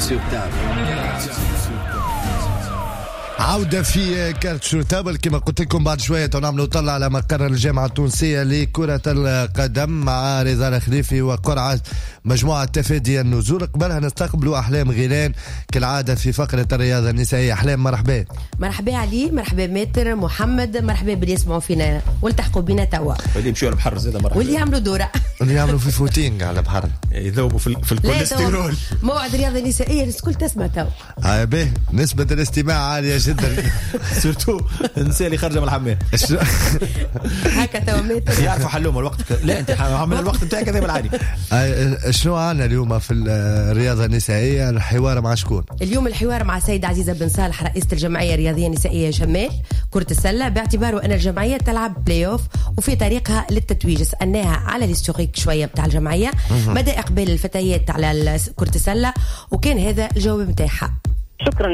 sur table. عودة في carte sur table، كما قلت لكم بعد شوية نعملوا طلع على مقر الجامعة التونسية لكرة القدم مع رضا الخليفي وقرعة مجموعة تفادي النزول. قبلها نستقبلوا أحلام غيلان كالعادة في فقرة الرياضة النسائية. أحلام مرحبا. مرحبا علي، مرحبا ماتر محمد، مرحبا باللي يسمعوا فينا والتحقوا بنا توا، واللي يمشوا على البحر زاد مرحبا، واللي يعملوا دورة، واللي يعملوا في footing على البحر يذوبوا في الكوليسترول. موعد الرياضة النسائية الناس الكل تسمع توا. به نسبة الاستماع عالية جدا surtout النساء اللي خارجه من الحمام هكا توا ماتر يعرفوا حلوهم الوقت. لا انت عامل الوقت نتاعك هذا بالعادي. شنو عندنا اليوم في الرياضة النسائية؟ الحوار مع شكون؟ اليوم الحوار مع السيدة عزيزة بن صالح رئيسة الجمعية الرياضية النسائية شمال كرة السلة، باعتباره أن الجمعية تلعب بلاي أوف وفي طريقها للتتويج. سألناها على l'historique شوية بتاع الجمعية، مدى إقبال الفتيات على كرة السلة، وكان هذا الجواب نتاعها. شكرا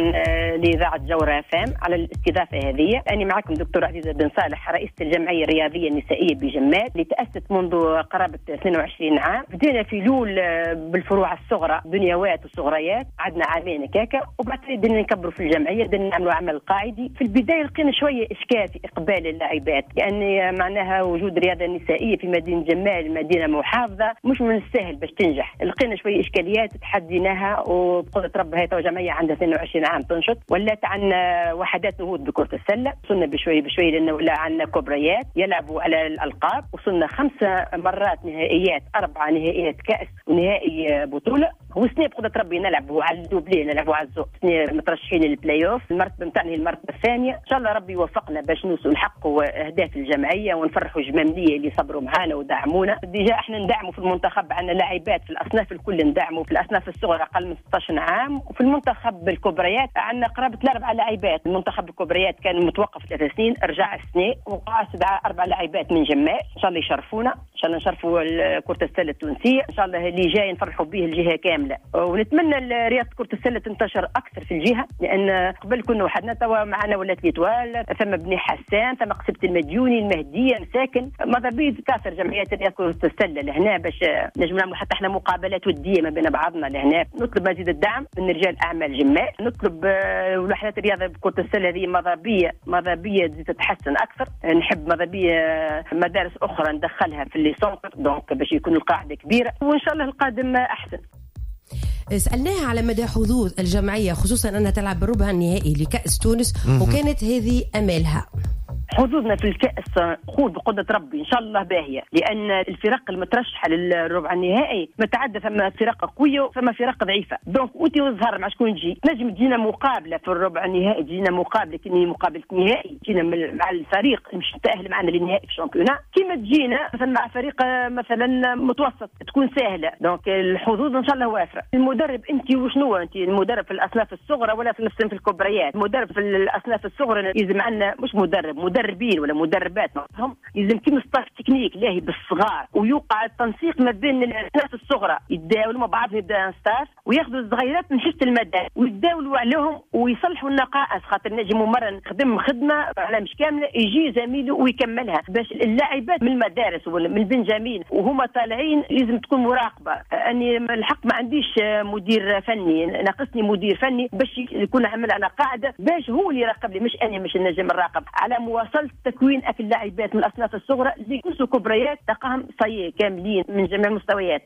لإذاعة جوهرة FM على الاستضافة هذه. أنا معكم دكتور عزيزة بن صالح رئيسة الجمعية الرياضية النسائية بجمال اللي تأسست منذ قرابة 22 عام. بدينا في لول بالفروع الصغرى، دنيوات وصغريات، عدنا عامين كاكا، وبعد بدنا نكبروا في الجمعية، بدنا نعملوا عمل قاعدي. في البداية لقينا شوية إشكال في إقبال اللاعبات، لأن معناها وجود رياضة نسائية في مدينة جمال، مدينة محافظة، مش من السهل باش تنجح. لقينا شوية إشكاليات تحديناها، وبقدرة رب هي جمعية عندها 22 عام تنشط، ولات عندنا وحدات نهوض بكرة السلة. وصلنا بشوي بشوي لأنه ولا عندنا كبريات يلعبوا على الألقاب. وصلنا 5 مرات نهائيات، 4 نهائيات كأس ونهائي بطولة. وسنة بقدرة ربي نلعبوا على ال doublé، نلعبوا على الزوق، سنة مترشحين للبلاي اوف، المرتبة نتاعنا هي المرتبة الثانية. إن شاء الله ربي يوفقنا باش نوصلوا نحققوا أهداف الجمعية ونفرحوا الجماملية اللي صبروا معانا ودعمونا. déjà احنا ندعموا في المنتخب، عندنا لاعبات في الأصناف الكل ندعموا، في الأصناف الصغرى أقل من 16 عام، وفي المنتخب الكبريات عندنا قرابة 4 لاعبات. المنتخب الكبريات كان متوقف 3 سنين، رجع السنة وقع 4 لاعبات من جمال. إن شاء الله يشرفونا، إن شاء الله نشرفوا كرة السلة التونسية، إن شاء الله اللي جاي نفرحوا به الجهة كاملة. ونتمنى رياضة كرة السلة تنتشر أكثر في الجهة، لأن قبل كنا وحدنا، توا معنا ولات l'Étoile، ثم بني حسان، ثم قصبة المديوني، المهدية، مساكن، ماذا بيه تكاثر جمعيات رياضة كرة السلة لهنا باش نجم نعملوا حتى احنا مقابلات ودية ما بين بعضنا لهنا. نطلب مزيد الدعم من رجال أعمال جمال، نطلب وحدات الرياضة بكرة السلة هذه ماذا بيه تتحسن أكثر. نحب ماذا بيه مدارس أخرى ندخلها في les centres، donc باش يكون القاعدة كبيرة، وإن شاء الله القادم أحسن. سألناها على مدى حظوظ الجمعية، خصوصا أنها تلعب بالربع النهائي لكأس تونس، وكانت هذه أمالها. حظوظنا في الكأس خذ بقدرة ربي إن شاء الله باهية، لأن الفرق المترشحة للربع النهائي متعدة، ثم فرق قوية وثم فرق ضعيفة، donc أنت والزهر مع شكون تجي. نجم تجينا مقابلة في الربع النهائي، تجينا مقابلة كني مقابلة نهائي، تجينا مع الفريق مش تأهل معنا للنهائي في ال championnat، كيما تجينا مثلا مع فريق مثلا متوسط تكون سهلة. donc الحظوظ إن شاء الله وافرة. المدرب أنت وشنو أنت المدرب في الأصناف الصغرى ولا في الكبريات؟ المدرب في الأصناف الصغرى يلزم عندنا مش مدربين ولا مدربات، هم يلزم كيما staff technique لاهي بالصغار، ويوقع التنسيق ما بين الناس الصغرى، يتداولوا مع بعضهم، يبدا staff وياخذوا الصغيرات من حصة المدى ويتداولوا عليهم ويصلحوا النقائص، خاطر نجم ممرن خدم خدمة على مش كاملة يجي زميله ويكملها، باش اللاعبات من المدارس ولا من البنجامين وهما طالعين لازم تكون مراقبة. اني الحق ما عنديش مدير فني، ناقصني مدير فني باش يكون عمل على قاعدة، باش هو اللي يراقب لي، مش انا مش نجم نراقب على مواصلة تكوين اكل اللاعبات من الاصناف الصغرى اللي يكونوا كبريات تلقاهم صي كاملين من جميع المستويات.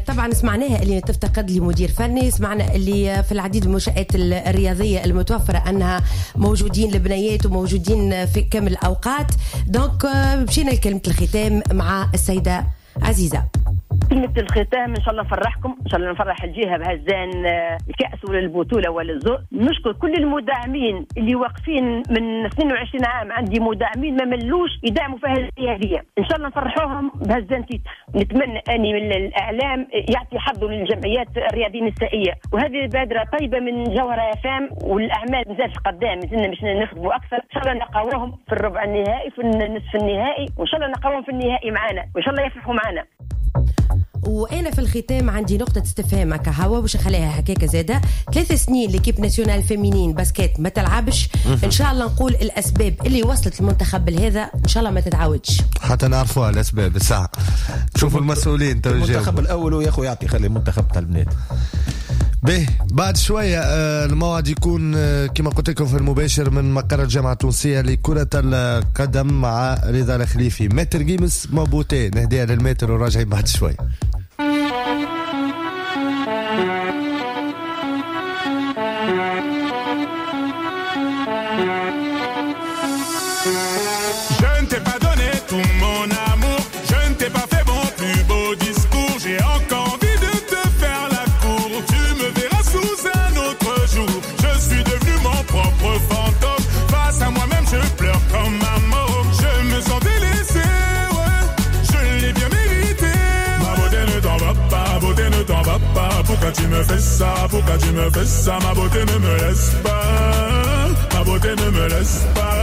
طبعا سمعناها اللي تفتقد لمدير فني، سمعنا اللي في العديد من المنشآت الرياضية المتوفرة أنها موجودين البنيات وموجودين في كامل الأوقات. donc مشينا لكلمة الختام مع السيدة عزيزة. كلمة الختام إن شاء الله نفرحكم، إن شاء الله نفرح الجهة بهزان الكأس ولا البطولة ولا الزور. نشكر كل المدعمين اللي واقفين من 22 عام، عندي مدعمين ما ملوش يدعموا في هذه، إن شاء الله نفرحوهم بهزان titre. نتمنى أني من الإعلام يعطي حظه للجمعيات الرياضية النسائية، وهذه بادرة طيبة من جوهرة FM، والأعمال مازالت قدام، مازلنا باش نخدموا أكثر. إن شاء الله نقاوهم في الربع النهائي، في النصف النهائي، وإن شاء الله نقاوهم في النهائي معنا، وإن شاء الله يفرحوا معنا. وانا في الختام عندي نقطة استفهام هكا هوا باش نخليها هكاك زاده. 3 سنين l'équipe nationale féminine basket ما تلعبش، ان شاء الله نقول الاسباب اللي وصلت المنتخب لهذا ان شاء الله ما تتعاودش، حتى نعرفوها الاسباب الساعة. شوفوا المسؤولين تو المنتخب الاول ويا خويا يعطي خلي المنتخب تاع البنات. به بعد شوية الموعد يكون كما قلت لكم في المباشر من مقر الجامعة التونسية لكرة القدم مع رضا الخليفي. Maître Gims Ma beauté نهديها لل maître وراجعين بعد شوية. Pourquoi tu me fais ça, pourquoi tu me fais ça? Ma beauté ne me laisse pas, ma beauté ne me laisse pas.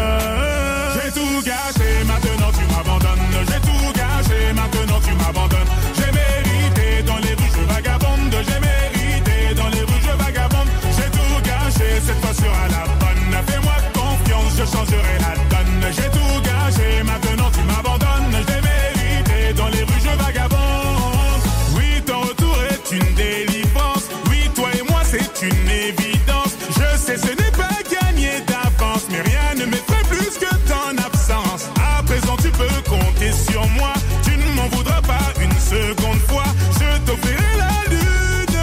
J'ai tout gâché, maintenant tu m'abandonnes. J'ai tout gâché, maintenant tu m'abandonnes. J'ai mérité dans les rues, je vagabonde. J'ai mérité dans les rues, je vagabonde. J'ai tout gâché, cette fois sera la bonne. Fais-moi confiance, je changerai la donne. J'ai tout gâché, maintenant tu m'abandonnes. J'ai mérité dans les rues, je vagabonde. Oui, ton retour est une délivrance. Oui, toi et moi, c'est une évidence. Je sais, ce n'est pas gagné d'avance, mais rien ne m'effraie plus que ton absence. À présent, tu peux compter sur moi. Tu ne m'en voudras pas une seconde fois. Je t'offrirai la lune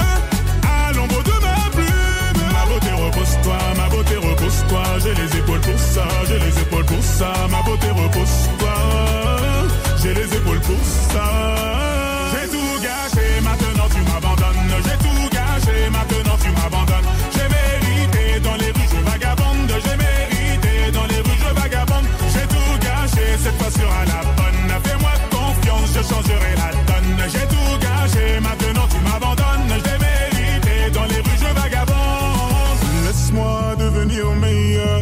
à l'ombre de ma plume. Ma beauté, repose-toi, ma beauté, repose-toi. J'ai les épaules pour ça, j'ai les épaules pour ça. Ma beauté, repose-toi, j'ai les épaules pour ça. J'ai tout gâché, maintenant tu m'abandonnes. J'ai tout gâché, maintenant tu m'abandonnes. J'ai mérité dans les rues, je vagabonde. J'ai mérité dans les rues, je vagabonde. J'ai tout gâché, cette fois sera la bonne. Fais-moi confiance, je changerai la donne. J'ai tout gâché, maintenant tu m'abandonnes. J'ai mérité dans les rues, je vagabonde. Laisse-moi devenir meilleur,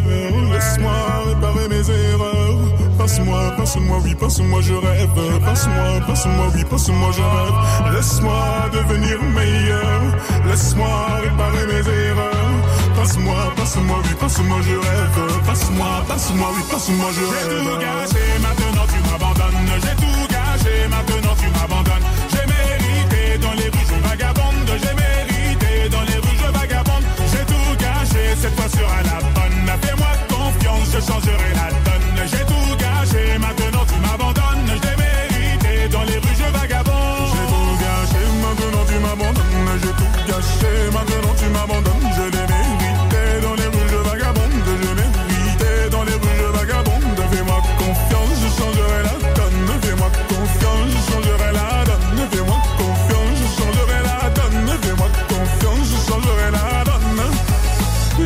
laisse-moi réparer mes erreurs. Passe-moi, passe-moi, oui, passe-moi, je rêve. Passe-moi, passe-moi, oui, passe-moi, je rêve. Laisse-moi devenir meilleur. Laisse-moi réparer mes erreurs. Passe-moi, passe-moi, oui, passe-moi, je rêve. Passe-moi, passe-moi, oui, passe-moi, je rêve. J'ai tout gâché, maintenant tu m'abandonnes. J'ai tout gâché, maintenant tu m'abandonnes. J'ai mérité dans les rues, je vagabonde. J'ai mérité dans les rues, je vagabonde. J'ai tout gâché, cette fois sera la bonne. Fais-moi confiance, je changerai la donne. J'ai tout gâché, maintenant tu m'abandonnes. Je l'ai mérité, dans les rues je vagabonde. J'ai tout gâché, maintenant tu m'abandonnes. J'ai tout gâché, maintenant tu m'abandonnes. Je l'ai mérité, dans les rues je vagabonde. Je mérité, dans les rues je vagabonde. Fais-moi confiance, je changerai la donne. Fais-moi confiance, je changerai la donne. Fais-moi confiance, je changerai la donne. Fais-moi confiance, je changerai la donne.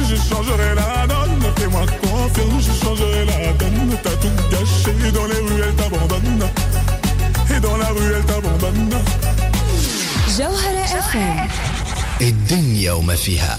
Je changerai la donne, fais-moi confiance, je changerai la donne. T'as tout gâché, dans les rues elle t'abandonne. Et dans la rue elle t'abandonne. جوهرة FM، الدنيا وما فيها.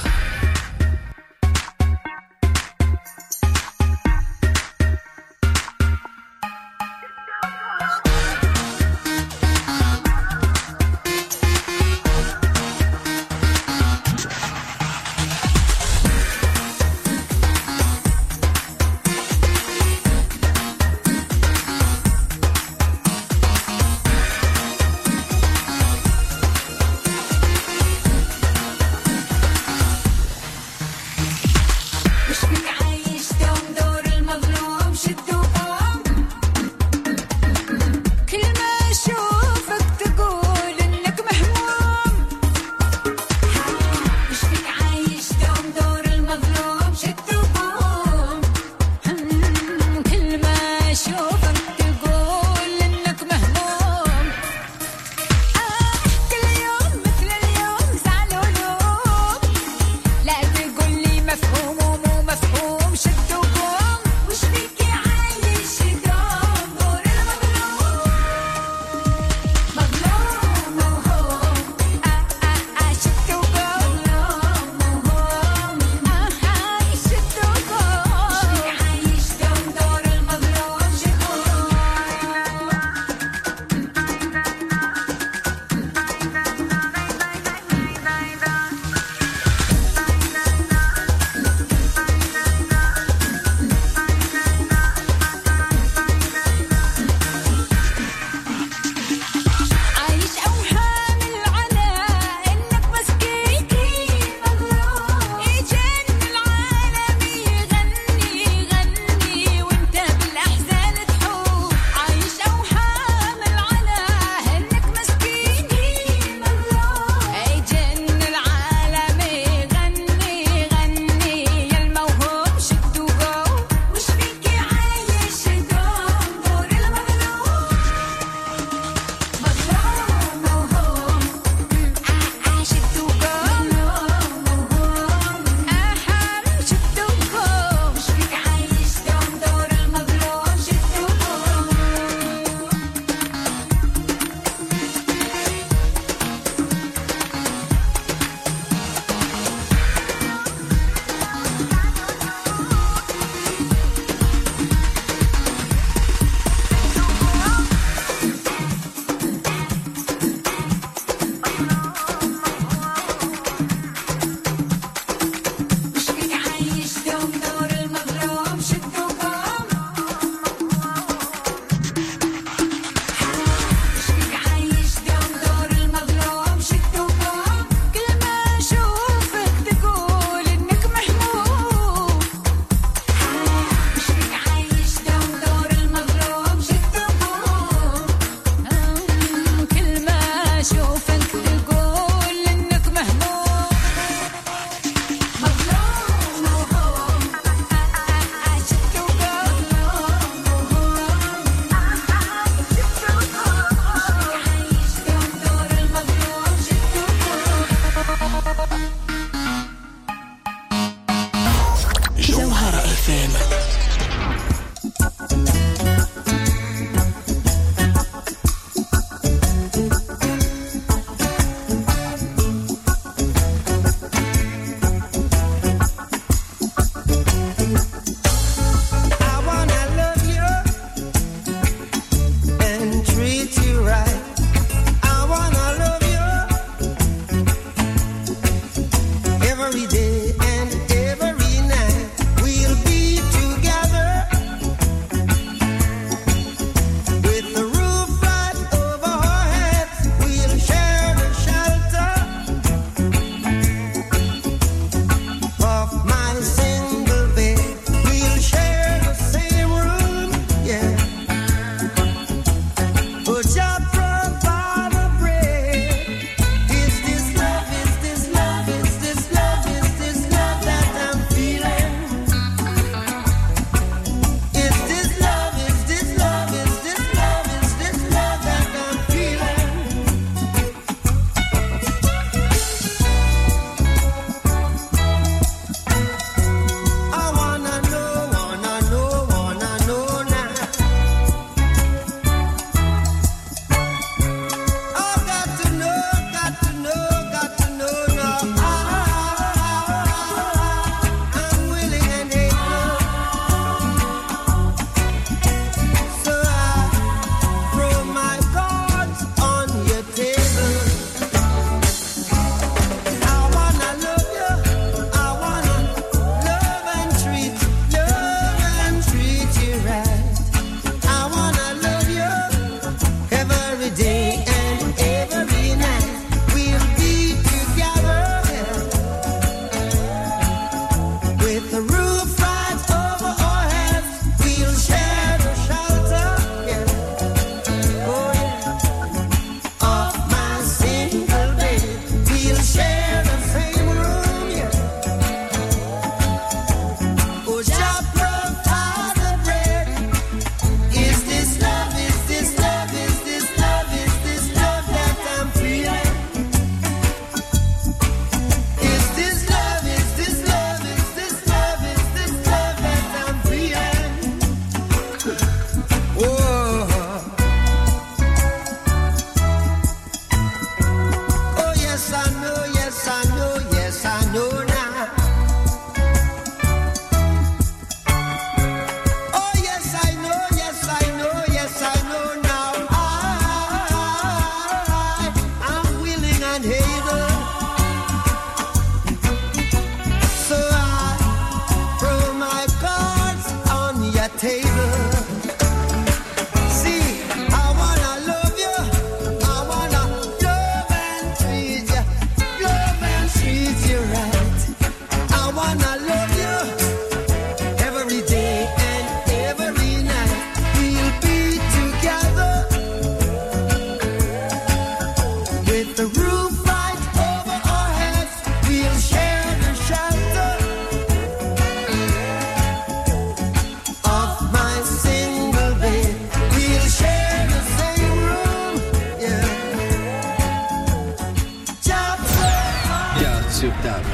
sur table.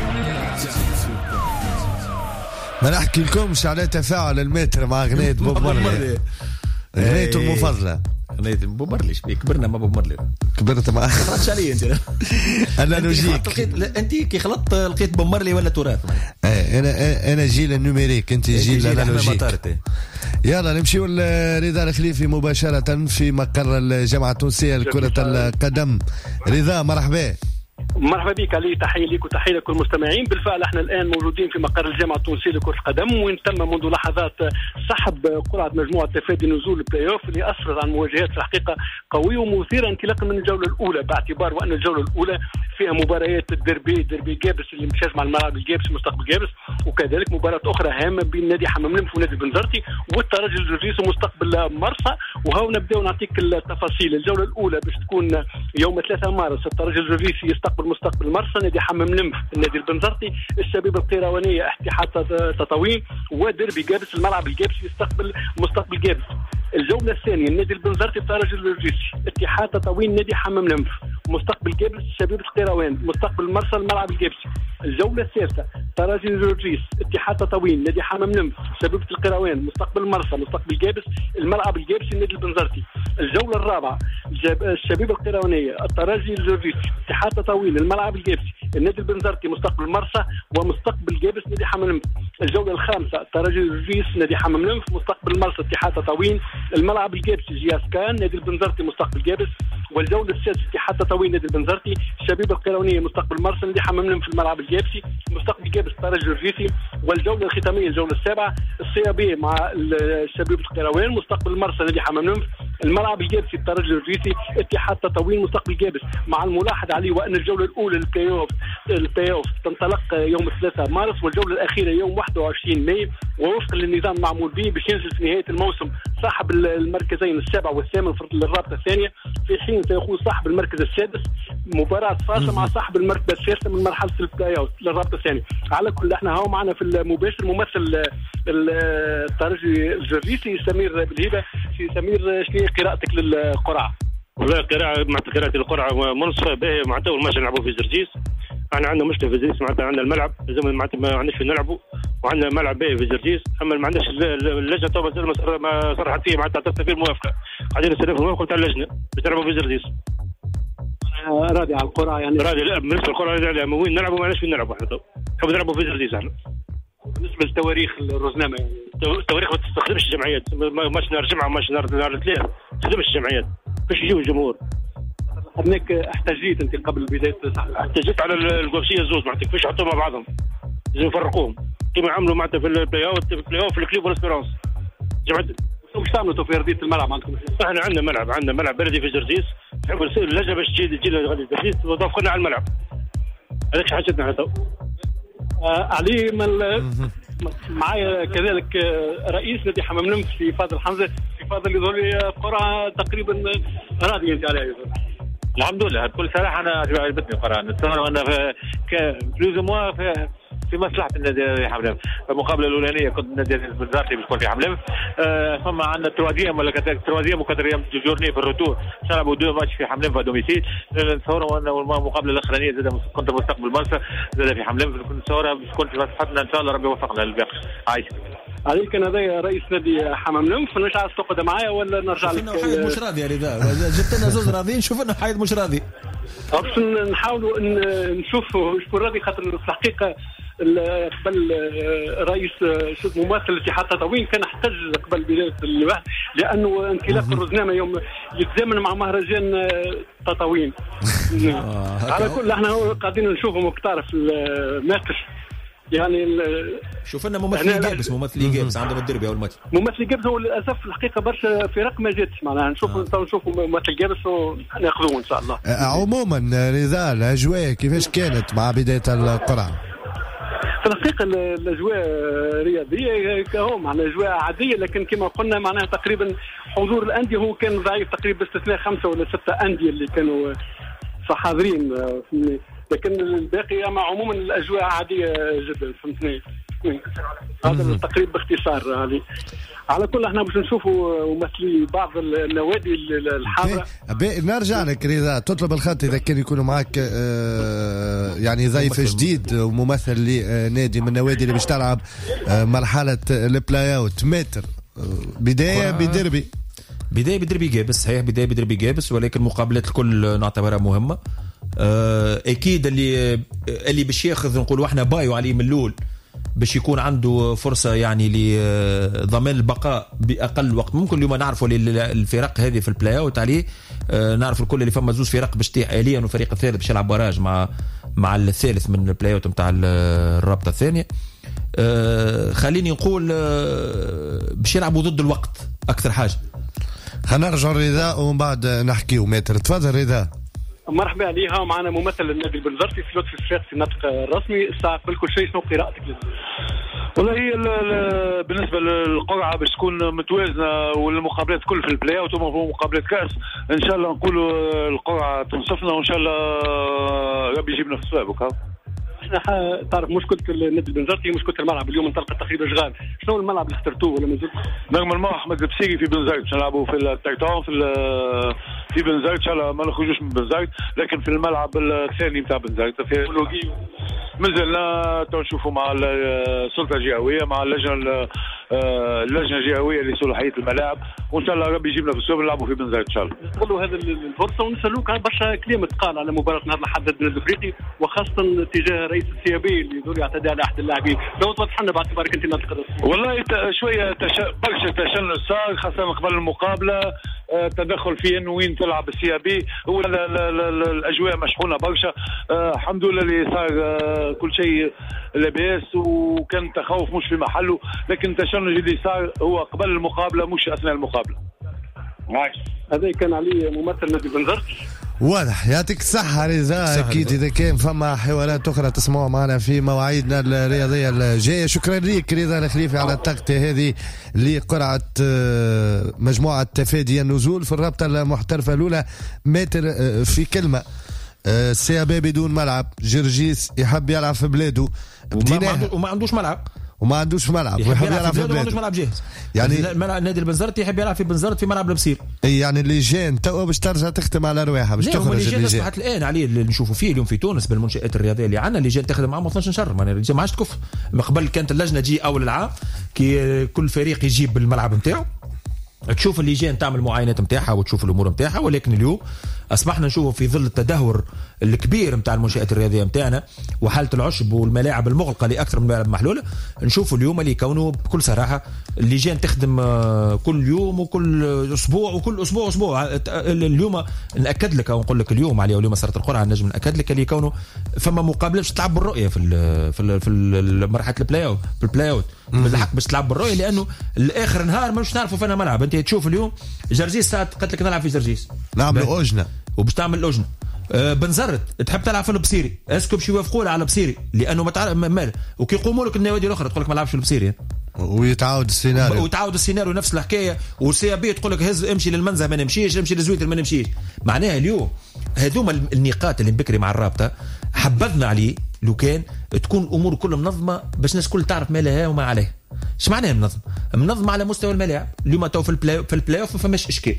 ما نحكي لكمش على تفاعل المتر مع أغنية بوب مارلي، أغنيته المفضلة. أغنية بوب مارلي، كبرنا مع بوب مارلي. كبرت معاه. خلطتش علي أنت. analogique. أنت كي خلطت لقيت بوب مارلي ولا تراث. أنا جيل ال numérique، أنت جيل ال analogique. يلا نمشيو لرضا الخليفي مباشرة في مقر الجامعة التونسية لكرة القدم. رضا مرحبا. مرحبا بك علي، تحية لك وتحية لكل المستمعين. بالفعل احنا الآن موجودين في مقر الجامعة التونسية لكرة القدم، وين تم منذ لحظات سحب قرعة مجموعة تفادي نزول البلاي اوف اللي أسفرت عن مواجهات في الحقيقة قوية ومثيرة انطلاقا من الجولة الأولى، باعتبار وأن الجولة الأولى فيها مباريات الديربي، ديربي جابس اللي مش مع الملعب الجابس مستقبل جابس، وكذلك مباراة أخرى هامة بين نادي حمام لنف ونادي بنزرتي والترجي الجرجيس ومستقبل مرسى. وهاو نبداو نعطيك التفاصيل. الجولة الأولى باش تكون يوم 3 مارس، الترجي الجرجيسي يستقبل مستقبل مرسى، نادي حمام لنف النادي البنزرتي، الشبيبة القيروانية اتحاد تطاوين، وديربي جابس الملعب الجابسي يستقبل مستقبل جابس. الجولة الثانية النادي البنزرتي الترجي الجرجيسي، اتحاد تطاوين نادي حمام لنف، مستقبل جابس شبيبة القيروان، مستقبل مرسى الملعب الجابسي. الجولة الثالثة ترجي الجرجيس، اتحاد تطاوين نادي حمام لنف، شبيبة القيروان، مستقبل مرسى، مستقبل جابس، الملعب الجابسي النادي البنزرتي. الجولة الرابعة الشبيبة القيروانية، الترجي الجرجيسي، اتحاد تطاوين، الملعب الجابسي، النادي البنزرتي، مستقبل مرسى، ومستقبل جابس نادي حمام لنف. الجولة الخامسة الترجي الجرجيس نادي حمام لنف، مستقبل مرسى، اتحاد تطاوين، الملعب الجابسي جياسكان، نادي البنزرتي، مستقبل جابس. والجولة السادسة اتحاد تطاوين نادي البنزرتي، الشبيبة القيروانية، مستقبل مرسى، نادي حمام لنف في الملعب الجابسي، مستقبل جابس الترجي الجرجيسي. والجولة الختامية الجولة السابعة السيابية مع الشبيبة القيروان، مستقبل مرسى، نادي حمام لنف، الملعب الجابسي الترجي الجرجيسي، اتحاد تطاوين، مستقبل جابس. مع الملاحظة عليه وأن الجولة الأولى البلاي اوف تنطلق يوم 3 مارس والجولة الأخيرة يوم 21 ماي، ووفقا للنظام المعمول به باش ينزل في نهاية الموسم صاحب المركزين السابع والثامن في الرابطة الثانية، في حين سيخوض صاحب المركز السادس مباراة فاصلة مع صاحب المرتبة الثالثة من مرحلة ال play-out للرابطة الثانية. على كل احنا هاو معنا في المباشر ممثل الترجي الجرجيسي سمير بالهبة. سي سمير، شنو قراءتك للقرعة؟ والله قراءة مع قراءة القرعة منصفة باهية. معناتها أول ماتش نلعبوا في جرجيس، احنا عندنا مشكلة في جرجيس، معناتها عندنا الملعب لازم معناتها ما عندناش فين نلعبوا، وعندنا ملعب باهي في جرجيس، اما ما عندناش اللجنة تو ما صرحت فيه معناتها عطتنا فيه الموافقة، قاعدين نستناو في الموافقة تاع اللجنة باش نلعبوا في جرجيس. راضي على القرعة يعني؟ راضي، لا بالنسبة للقرعة راضي عليها، وين نلعبوا ما عندناش فين نلعبوا احنا تو، نحبوا نلعبوا في جرجيس احنا. بالنسبة للتواريخ الرزنامة يعني؟ التواريخ ما تستخدمش الجمعيات، ماتش نهار الجمعة ماتش نهار الاثنين، ما تستخدمش الجمعيات باش يجيو الجمهور. هناك احتجيت انت قبل بداية صح؟ احتجيت على القوسيه الزوز معناتها كيفاش يحطوهم مع بعضهم، لازم يفرقوهم كيما عملوا معناتها في ال play-out، في ال play-off في الكليب والاسبيرونس. جماعة واش تعملوا في ارضية الملعب عندكم؟ احنا عندنا ملعب، عندنا ملعب بلدي في جرجيس، نحبوا اللجنة باش تجي لنا غادي جرجيس وتوافقنا على الملعب. هذاك حاجتنا احنا تو. علي معايا كذلك رئيس نادي حمام لنف في فاضل حمزة. في فاضل يظهر لي قرعه تقريبا راضي انت عليها يظهر. الحمد لله بكل صراحة انا عجبتني القرعة، نتصور ان plus ou moins في مصلحة النادي حمام لنف. المقابلة الاولانية كنت النادي البنزرتي باش يكون في حمام لنف، ثم عندنا troisième ولا troisième و quatrième journée في ال retour، نلعبوا deux matchs في حمام لنف à domicile. نتصوروا ان المقابلة الاخرانية زاد كنت مستقبل مرسى زاد في حمام لنف، نتصورها باش تكون في مصلحتنا ان شاء الله، ربي يوفقنا للباقي. عايش عليك. كان هذا رئيس نادي حمام لنف، مش عايز تقعد معايا ولا نرجع لك؟ حيد مش راضي يا رضا، جبت لنا زوز راضيين، شوف لنا حيد مش راضي. باش نحاولوا نشوفوا شكون راضي، خاطر في الحقيقة قبل رئيس ممثل الاتحاد التطاوين كان احتج قبل بداية البحث لانه انطلاق الرزنامه يوم يتزامن مع مهرجان تطاوين. على كل احنا قاعدين نشوفهم تعرف الماتش يعني. شوف لنا ممثل جابس، ممثل جابس عندهم الدربي اول ماتش. ممثل جابس هو للاسف الحقيقة برشا فرق ما جاتش معناها، نشوفوا نشوفوا ممثل جابس وناخذوه ان شاء الله. عموما رضا، الاجواء كيفاش كانت مع بداية القرعة؟ في الحقيقة الاجواء رياضية كهو معناها اجواء عادية، لكن كما قلنا معناها تقريبا حضور الاندية هو كان ضعيف تقريبا باستثناء 5 ولا 6 اندية اللي كانوا حاضرين، لكن الباقي اما عموما الاجواء عادية جدا. فهمتني؟ السنة. هذا التقريب باختصار علي. على كل احنا باش نشوفوا ممثلي بعض النوادي الحاضرة. نرجع لك رضا، تطلب الخط اذا كان يكون معك يعني ضيف جديد وممثل لنادي من النوادي اللي باش تلعب مرحلة ال play-out. متر بداية بدربي، بداية بدربي جابس، صحيح بداية بدربي جابس، ولكن مقابلات الكل نعتبرها مهمة. اكيد اللي باش ياخذ نقولوا احنا بايو عليه من الاول باش يكون عنده فرصة يعني لضمان البقاء باقل وقت ممكن. اليوم نعرفوا الفرق هذه في ال play-out عليه، نعرف الكل اللي فما زوز فرق باش تطيح آليا وفريق الثالث باش يلعب barrage مع الثالث من ال play-out نتاع الرابطة الثانية. خليني نقول باش يلعبوا ضد الوقت اكثر حاجة. خلينا نرجع رضا ومن بعد نحكيو. ماتر تفضل رضا. مرحبا عليها، ومعنا ممثل النادي البنزرتي في لطفي الصفاقسي الناطق الرسمي. الساعة قبل كل شيء شنو قراءتك لل والله هي بالنسبة للقرعة باش تكون متوازنة والمقابلات كل في ال play-out ومقابلات كأس، إن شاء الله نقولوا القرعة تنصفنا وإن شاء الله ربي يجيبنا في الصواب. احنا تعرف مشكلة النادي البنزرتي مشكلة الملعب. اليوم انطلقت تقريبا اشغال، شنو الملعب اللي اخترتوه ولا مازال؟ normalement احمد البسيري في بنزرت باش نلعبوا في التيتان في بنزرت، ان شاء الله ما نخرجوش من بنزرت، لكن في الملعب الثاني نتاع بنزرت في مازلنا تو نشوفوا مع السلطة الجهوية مع اللجنة الجهوية لصلاحيه الملاعب، وان شاء الله ربي يجيبنا في السوق نلعبوا في بنزرت ان شاء الله. نستغلوا هذه الفرصة ونسالوك برشا كلام تقال على مباراة نهار الاحد ضد النادي الافريقي، وخاصة تجاه رئيس ال CAB اللي يدور يعتدي على احد اللاعبين، لو توضح لنا باعتبارك انت ناطق الرسمي. والله شوية برشا تشنج صار خاصة قبل المقابلة، تدخل في انه وين تلعب ال CAB، هو الاجواء مشحونه برشا. الحمد لله اللي صار كل شيء لاباس، وكان تخوف مش في محله، لكن التشنج اللي صار هو قبل المقابلة مش اثناء المقابلة. هذا كان علي ممثل نادي بنزرت. واضح، يعطيك الصحة رضا. أكيد إذا كان فما حوارات أخرى تسمعوا معنا في مواعيدنا الرياضية الجاية. شكرا لك رضا الخليفي على التغطية هذه لقرعة مجموعة تفادي النزول في الرابطة المحترفة الأولى. ماتر في كلمة، CAB بدون ملعب، جرجيس يحب يلعب في بلاده وما عندوش ملعب، وما عندوش ملعب، ويحب يلعب في بلاده وما عندوش ملعب جاهز. يعني النادي البنزرتي يحب يلعب في بنزرت في ملعب البصير. اي يعني اللجان توا باش ترجع تخدم على رواحها باش تخرج اللجان. اصبحت الان عليه اللي نشوفوا فيه اليوم في تونس بالمنشآت الرياضية اللي عندنا، اللجان تخدم معاهم 12 شهر، معناها اللجان ما عادش تكف. قبل كانت اللجنة تجي اول العام كي كل فريق يجيب الملعب نتاعو، تشوف اللجان تعمل معاينات نتاعها وتشوف الامور نتاعها، ولكن اليوم اصبحنا نشوفوا في ظل التدهور الكبير نتاع المنشآت الرياضية نتاعنا وحاله العشب والملاعب المغلقة لاكثر من ملاعب محلولة، نشوفوا اليوم اللي كونه بكل صراحة اللجان تخدم كل يوم وكل اسبوع وكل اسبوع اسبوع. اليوم ناكد لك او نقول لك اليوم عليه، واليوم صارت القرعة نجم ناكد لك اللي كونه فما مقابله باش تلعب بالرؤية في مرحلة ال play-off، في ال play-out بالحق باش تلعب بالرؤية، لانه الاخر نهار مش نعرفوا فينا ملعب. انت تشوف اليوم جرجيس ساعات قالت لك نلعب في جرجيس، نعملوا اجنه وباش تعمل لجنة. بنزرت تحب تلعب في البصيري، est-ce que باش يوافقوا على البصيري لانه ما تعرف مال، وكي يقوموا لك النوادي الاخرى تقول لك ما نلعبش في البصيري، ويتعاود السيناريو، ويتعاود السيناريو نفس الحكاية. وال CAB تقول لك هز امشي للمنزه ما نمشيش، امشي لزويتر ما نمشيش. معناها اليوم هذوما النقاط اللي بكري مع الرابطة حبذنا عليه لو كان تكون الامور كلها منظمة باش الناس الكل تعرف ما لها وما عليها. اش معناها منظمة؟ منظمة على مستوى الملاعب. اليوم تو في ال play-off ما فماش اشكال.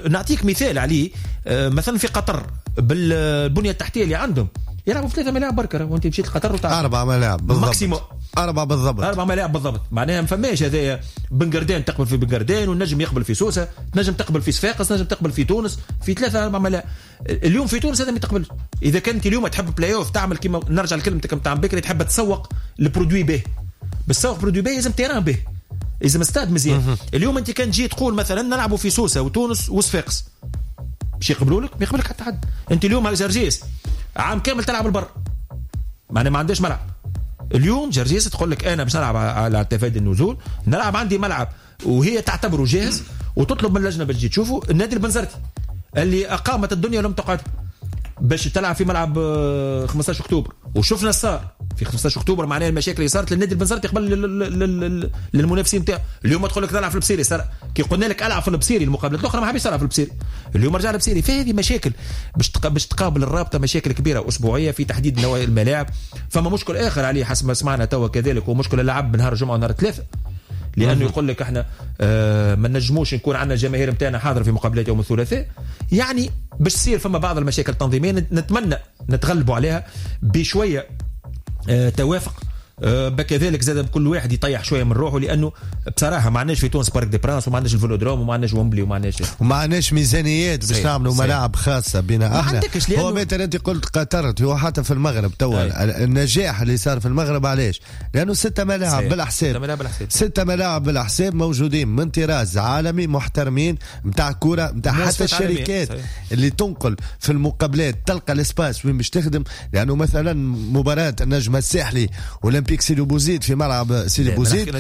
نعطيك مثال عليه، مثلا في قطر بالبنيه التحتية اللي عندهم يلعبوا في 3 ملاعب بركة، وانت مشيت لقطر وتعرف 4 ملاعب بالضبط، maximum 4 بالضبط، 4 ملاعب بالضبط. معناها ما فماش هذايا بنقردان تقبل في بنقردان، والنجم يقبل في سوسة، تنجم تقبل في صفاقس، تنجم تقبل في تونس، في 3 4 ملاعب. اليوم في تونس هذا ما تقبلش. اذا كنت اليوم تحب بلاي اوف تعمل كيما نرجع لكلمتك نتاع بكري، تحب تسوق ال produit به، بس تسوق produit به لازم terrain به، لازم استاد مزيان. اليوم انت كان تجي تقول مثلا نلعبوا في سوسة وتونس وصفاقس، باش يقبلوا لك؟ ما يقبلك حتى حد. انت اليوم على جرجيس عام كامل تلعب البر، معناها ما عندهاش ملعب. اليوم جرجيس تقول لك انا باش نلعب على تفادي النزول، نلعب عندي ملعب، وهي تعتبره جاهز وتطلب من اللجنة باش تجي تشوفه. النادي البنزرتي اللي اقامت الدنيا ولم تقعد باش تلعب في ملعب 15 اكتوبر، وشفنا صار في 15 اكتوبر معناها المشاكل اللي صارت للنادي البنزرتي قبل للمنافسين نتاعو. اليوم تقول لك تلعب في البصيري، صار كي قلنا لك العب في البصيري المقابلات الاخرى ما حبيش تلعب في البصيري، اليوم رجع البصيري. فهذه مشاكل باش تقابل الرابطة، مشاكل كبيرة اسبوعية في تحديد نوع الملاعب. فما مشكل اخر عليه حسب ما سمعنا توا كذلك، هو مشكل اللعب نهار الجمعة ونهار الثلاثاء، لانه يقول لك احنا ما نجموش نكون عندنا الجماهير نتاعنا حاضره في مقابلات يوم الثلاثاء. يعني باش تصير فما بعض المشاكل التنظيمية، نتمنى نتغلبوا عليها بشوية توافق، بكذلك زاد بكل واحد يطيح شوية من روحه، لانه بصراحة ما عندناش في تونس Parc des Princes، وما عندناش الفولودروم، وما عندناش ومبلي، وما عندناش ميزانيات باش نعملوا ملاعب خاصة بنا احنا. هو مثلا انت قلت قطر، هو حتى في المغرب توا النجاح اللي صار في المغرب علاش؟ لانه 6 ملاعب بالحساب، 6 ملاعب بالحساب موجودين من طراز عالمي محترمين نتاع كورة، نتاع حتى الشركات اللي تنقل في المقابلات تلقى ال espace وين باش تخدم. لانه مثلا مباراة النجم الساحلي اولمبيك سيدي بوزيد في ملعب سيدي بوزيد،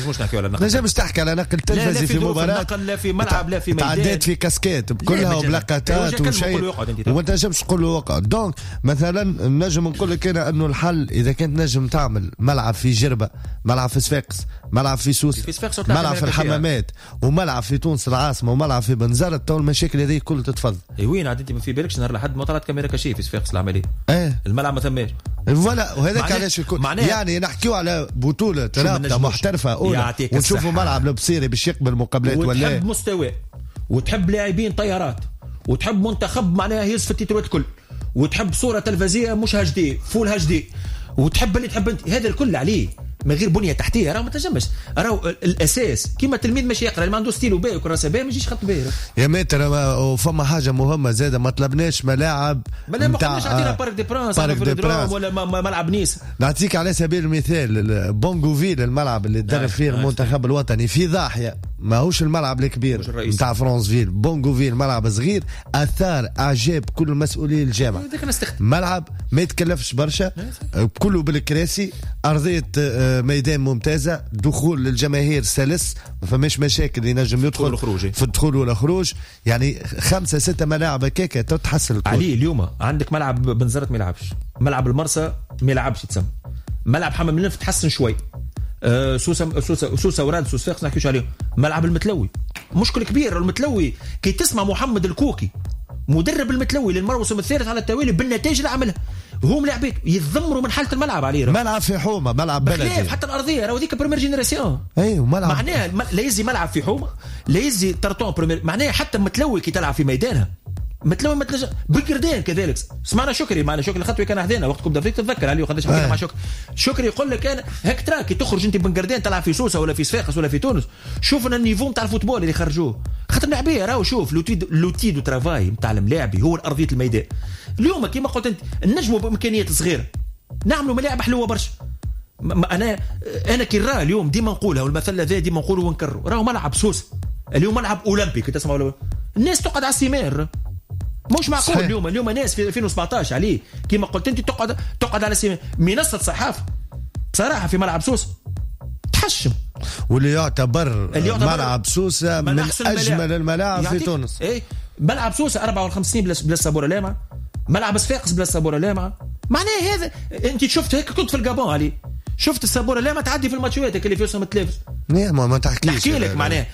نجمش تحكي على نقل تلفزي في مباراة، لا في ملعب لا في ميدان، تعديت في كاسكات كلها وبلاكاتات وشيء، وما تنجمش تقول له وقع. donc مثلا نجم نقول لك انا انه الحل اذا كنت نجم تعمل ملعب في جربه، ملعب في صفاقس، ملعب في سوسة، ملعب في الحمامات، وملعب في تونس العاصمة، وملعب في بنزرت، تو المشاكل هذه كلها تتفضل. اي وين عاد انت ما في بالكش نهار لحد ما طلعت caméra cachée في صفاقس العملية، الملعب ما ثماش voilà. وهذاك علاش يعني نحكيو على بطولة رابطة محترفة أولى ونشوفوا ملعب البصيري باش يقبل مقابلات ولا، وتحب مستوى، وتحب لاعبين طيارات، وتحب منتخب معناها يهز في التيتروات الكل، وتحب صورة تلفزيونية مش HD full HD، وتحب اللي تحب انت، هذا الكل عليه من غير بنيه تحتيه راه ما تنجمش. راهو الاساس كيما التلميذ ماشي يقرا، اللي ما عنده ستيلو باهي وكراسه باهي ما يجيش خط باهي يا maître. وفما حاجة مهمة زاده، ما طلبناش ملاعب، ما قلناش عطينا Parc des Princes ولا ملعب نيس. نعطيك على سبيل المثال بونغوفيل، الملعب اللي تدرب فيه المنتخب الوطني في ضاحيه، ماهوش الملعب الكبير نتاع فرانسفيل، بونغوفيل ملعب صغير اثار اعجاب كل مسؤولي الجامعة، ملعب ما يتكلفش برشا، كله بالكراسي، ارضية ميدان ممتازة، دخول للجماهير سلس، ما فماش مشاكل، ينجم يدخل في الدخول والخروج. يعني 5-6 ملاعب هكاك تتحسن. علي اليوم عندك ملعب بنزرت ما يلعبش، ملعب المرسى ما يلعبش تسمى، ملعب حمام الانف تحسن شوي، سوسة سوسة سوسة وراد سوس فاقس نحكيوش عليهم، ملعب المتلوي مشكل كبير. المتلوي كي تسمع محمد الكوكي مدرب المتلوي للموسم الثالث على التوالي بالنتائج اللي عملها، هم لاعبين يتذمروا من حاله الملعب عليه. ملعب في حومه، ملعب بلدي، حتى الارضية راهو ذيك première génération. اي ملعب معناها لا يزي ملعب في حومه، لا يزي tartan première، معناها حتى متلوي كي تلعب في ميدانها متلوي ما تلج... بقردان كذلك. سمعنا شكري، معنا شكري الخطوي كان حدانا وقت Coupe d'Afrique، تتذكر عليه وقداش حكينا مع شكري. شكري يقول لك انا هاك ترى كي تخرج انت بن قردان تلعب في سوسة ولا في صفاقس ولا في تونس، شوفنا ال niveau نتاع ال football اللي خرجوه، خاطر اللاعبيه راهو شوف l'outil de travail نتاع الملاعبي هو الارضية الميدان. اليوم كيما قلت انت نجموا بامكانيات صغيرة نعملوا ملاعب حلوة برشا. انا كي راه اليوم ديما نقولها، والمثل هذا ديما نقوله ونكرره، راهو ملعب سوسة اليوم ملعب اولمبي كي تسمعوا الناس تقعد على ال ciment، مش معقول. صحيح. اليوم ناس في 2017 عليه كما قلت انت تقعد على ciment. منصة صحافة بصراحة في ملعب سوسة تحشم، واللي يعتبر ملعب سوسة من اجمل الملاعب في تونس. ايه ملعب سوسة 54 بلا سابوره لامعة، ملعب صفاقس بلا سابوره لامعة. معناه هذا انت شفت هيك كنت في الجابون عليه، شفت السابوره لامعة تعدي في الماتشات اللي فيهم التلافز. نعم ما تحكيش نحكي لك معناه.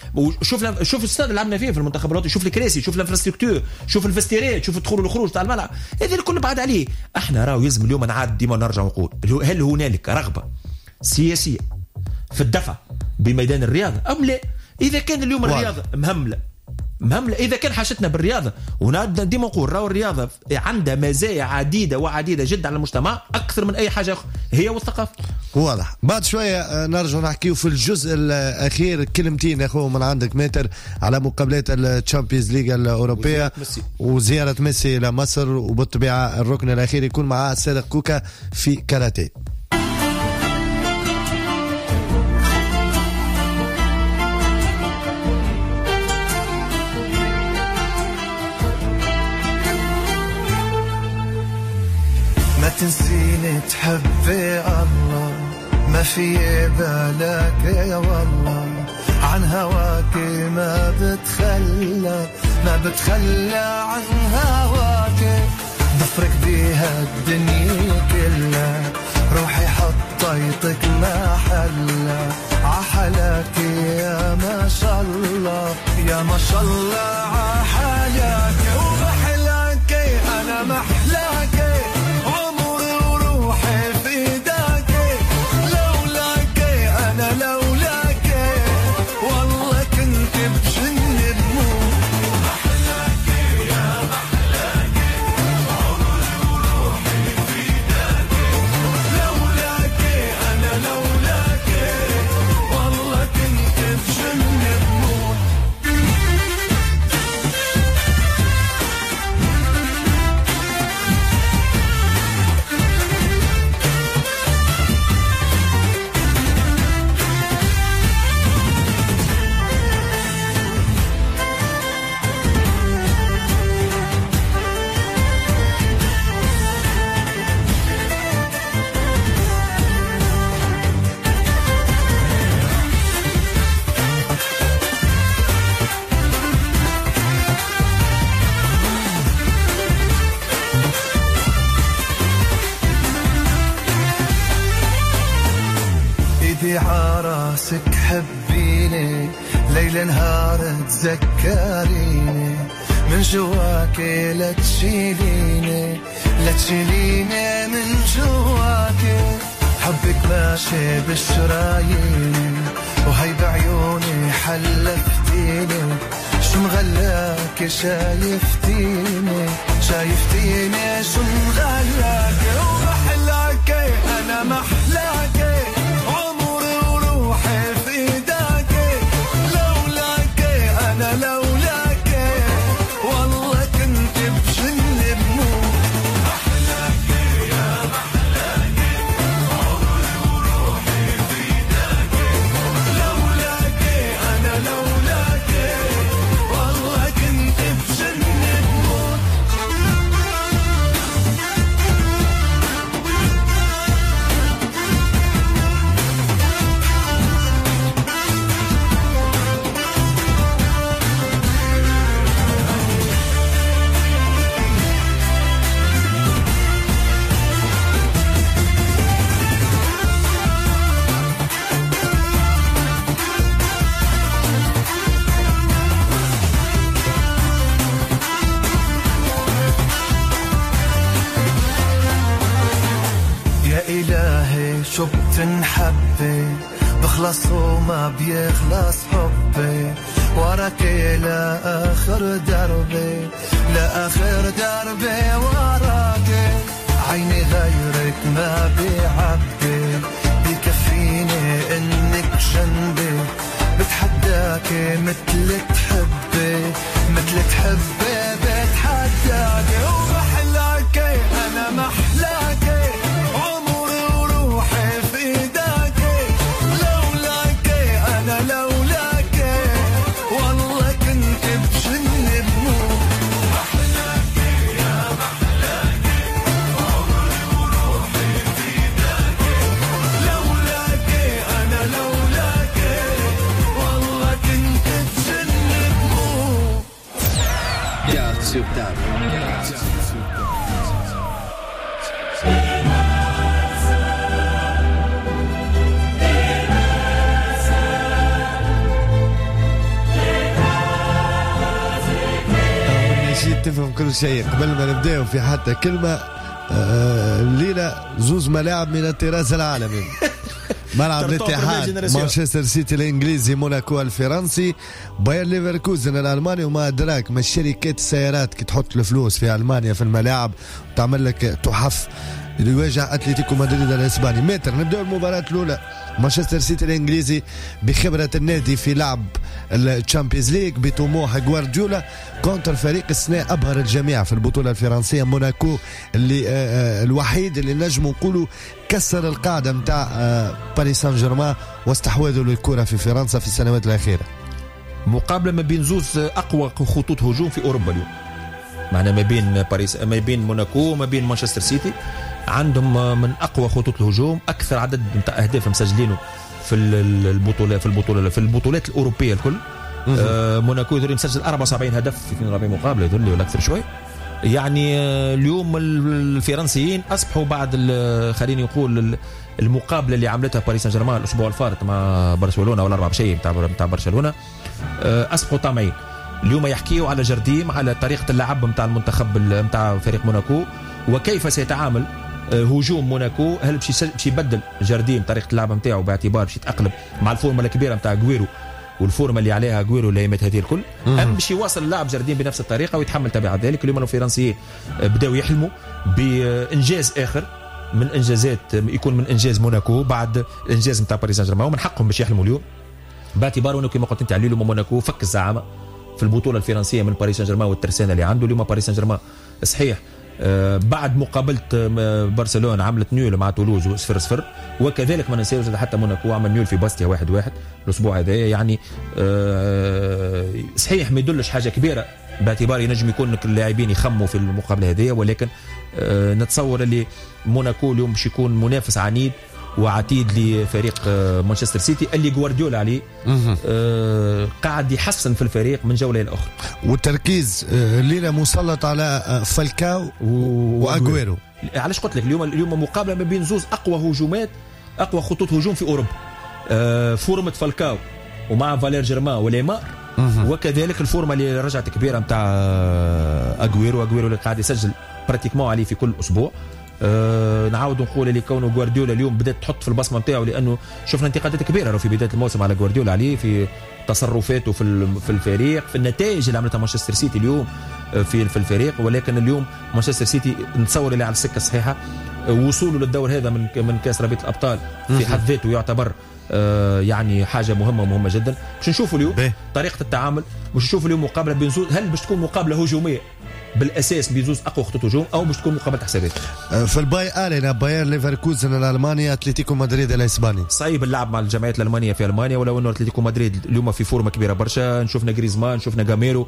شوف الاستاد اللي لعبنا فيه في المنتخب الوطني، شوف الكراسي، شوف l'infrastructure، شوف ال vestiaires، شوف الدخول والخروج تاع الملعب، هذا الكل بعد عليه. احنا راهو يلزم اليوم نعاد ديما نرجع ونقول هل هنالك رغبة سياسية في الدفع بميدان الرياضة ام لا؟ اذا كان اليوم الرياضة مهملة، اذا كان حاجتنا بالرياضة، ونبدا ديما نقول راهو الرياضة عندها مزايا عديدة وعديده جدا على المجتمع اكثر من اي حاجة اخرى، هي والثقافة. واضح. بعد شوية نرجع نحكيو في الجزء الاخير كلمتين يا اخو من عندك maître على مقابلات ال Champions League الاوروبية وزيارة ميسي الى مصر، وبالطبيعه الركن الاخير يكون مع الصادق كوكا في كاراتيه. ما تنسيني تحبي الله، ما في بالك يا والله، عن هواك ما بتخلى، ما بتخلى عن هواك، ضفرك بيها الدنيا كلها، روحي حط عيطك ما حلا عحلاك يا ما شاء الله، يا ما شاء الله عحلاك ومحلاك، أنا محلاك عمري وروحي فداك، لولاك أنا لولاك والله كنت بجن بموت. محلاك يا محلاك عمري وروحي فداك، لولاك أنا لولاك والله كنت بجن بموت. ايدي عراسك حبيني، ليل نهار تذكريني، من جواك لا تشيليني، لا تشيليني من جواك، حبك ماشي بالشرايين، وهي بعيوني حلفتيني، شو مغلاك شايفتيني، شايفتيني شو مغلاك، ومحلاك أنا محلاك عمري وروحي فداك، لولاك أنا لولاك والله كنت بجن بموت. محلاك يا محلاك عمري وروحي فداك، لولاك أنا لولاك والله كنت بجن بموت. يا إلهي شو بتنحبي، بخلص وما بيخلص حبي، وراك لآخر دربي، لآخر دربي وراك، عيني غيرك ما بيعبي، بكفيني إنك جنبي، بتحداك مثل تحبي، مثل تحبي بتحداك، ومحلاك أنا محلاك عمري وروحي فداك، لولاك أنا لولاك والله كنت بجن بموت. محلاك يا محلاك عمري وروحي فداك، لولاك أنا لولاك والله كنت بجن بموت. Carte sur table. تفهم كل شيء قبل ما نبداو في حتى كلمة. الليلة زوز ملاعب من الطراز العالمي، ملعب الاتحاد مانشستر سيتي الانجليزي، موناكو الفرنسي، باير ليفركوزن الالماني، وما ادراك ما الشركات السيارات كي تحط الفلوس في المانيا في الملاعب وتعمل لك تحف. اللي يواجه اتلتيكو مدريد الاسباني. متر نبداو المباراة الاولى، مانشستر سيتي الانجليزي بخبره النادي في لعب ال Champions League بطموح جوارديولا contre فريق السنة ابهر الجميع في البطولة الفرنسية موناكو، اللي الوحيد اللي نجم نقولوا كسر القاعدة نتاع باريس سان جيرمان واستحوذوا للكرة في فرنسا في السنوات الاخيرة. مقابله ما بين زوز اقوى خطوط هجوم في اوروبا اليوم، معنا ما بين باريس، ما بين موناكو، ما بين مانشستر سيتي، عندهم من اقوى خطوط الهجوم، اكثر عدد نتاع اهداف مسجلينه في البطولة في البطولات الاوروبية الكل. موناكو يدري مسجل 74 هدف في 42 مقابله يدري ولا اكثر شوي. يعني اليوم الفرنسيين اصبحوا بعد خليني نقول المقابلة اللي عملتها باريس سان جيرمان الاسبوع الفارط مع برشلونة ولا 4-0 نتاع برشلونة، اصبحوا طامعين. اليوم يحكيوا على جارديم، على طريقه اللعب نتاع المنتخب نتاع فريق موناكو، وكيف سيتعامل هجوم موناكو. هل باش يبدل جارديم طريقه اللعب نتاعو باعتبار باش يتاقلم مع ال forme الكبيرة نتاع غويرو وال forme اللي عليها غويرو الايامات هذه الكل، ام باش يواصل اللعب جارديم بنفس الطريقة ويتحمل تبعات ذلك. اليوم الفرنسيين بداوا يحلموا بانجاز اخر من انجازات، يكون من انجاز موناكو بعد الانجاز نتاع باريس سان جيرمان، ومن حقهم باش يحلموا اليوم باعتبار انه كما قلت انت علي اليوم موناكو فك الزعامه في البطولة الفرنسية من باريس سان جيرمان والترسانه اللي عنده اليوم. باريس سان جيرمان صحيح بعد مقابله برشلونة عملت nul مع تولوز 0-0، وكذلك ما ننساوش حتى موناكو عمل nul في باستيا 1-1 الاسبوع هذا. يعني صحيح ما يدلش حاجة كبيرة باعتبار ينجم يكون اللاعبين يخموا في المقابلة هذه، ولكن نتصور اللي موناكو اليوم باش يكون منافس عنيد وعتيد لفريق مانشستر سيتي اللي غوارديولا عليه قاعد يحسن في الفريق من جولة إلى أخرى. والتركيز الليلة مسلط على فالكاو وأغويرو. علاش قلت لك اليوم مقابلة ما بين زوز أقوى هجومات، أقوى خطوط هجوم في أوروبا، forme فالكاو ومع فالير جيرمان وليمار، وكذلك ال forme اللي رجعت كبيرة متاع أغويرو. أغويرو اللي قاعد يسجل pratiquement عليه في كل أسبوع. نعاود نقول اللي كونه غوارديولا اليوم بدات تحط في البصمة نتاعو، لانه شفنا انتقادات كبيرة في بداية الموسم على غوارديولا عليه في تصرفاته في الفريق، في النتائج اللي عملتها مانشستر سيتي اليوم في الفريق. ولكن اليوم مانشستر سيتي نتصور اللي على السكة الصحيحة، وصوله للدور هذا من كاس رابطه الابطال في حد ذاته يعتبر يعني حاجة مهمة جدا. باش نشوفوا اليوم طريقه التعامل، باش نشوفوا اليوم مقابله بين زوز، هل باش تكون مقابله هجومية بالاساس بزوز اقوى خطوط هجوم او باش تكون مقابله حسابات. في الباي ارينا باير ليفركوزن الالماني، اتلتيكو مدريد الاسباني. صعيب اللعب مع الجمعيات الالمانية في المانيا، ولو انه اتلتيكو مدريد اليوم في forme كبيرة برشا. شفنا غريزمان، شفنا جاميرو،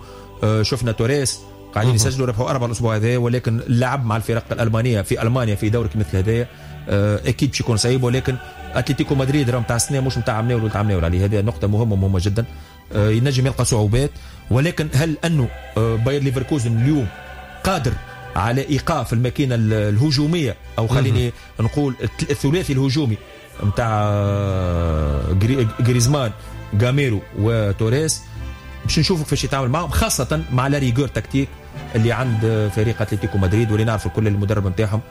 شفنا توريس قاعدين يسجلوا، ربحوا 4 الاسبوع هذا. ولكن اللعب مع الفرق الالمانية في المانيا في دوري مثل هذا اكيد باش يكون صعيب. ولكن اتلتيكو مدريد راه نتاع السنة مش نتاع عمناول ولا عمناول عليه، هذه نقطة مهمة جدا. ينجم يلقى صعوبات، ولكن هل انه باير ليفركوزن اليوم قادر على ايقاف الماكينة الهجومية، او خليني نقول الثلاثي الهجومي نتاع غريزمان غاميرو وتوريس؟ باش نشوفوا كيفاش يتعامل معهم، خاصة مع la rigueur tactique اللي عند فريق اتلتيكو مدريد، واللي نعرفوا كل المدرب نتاعهم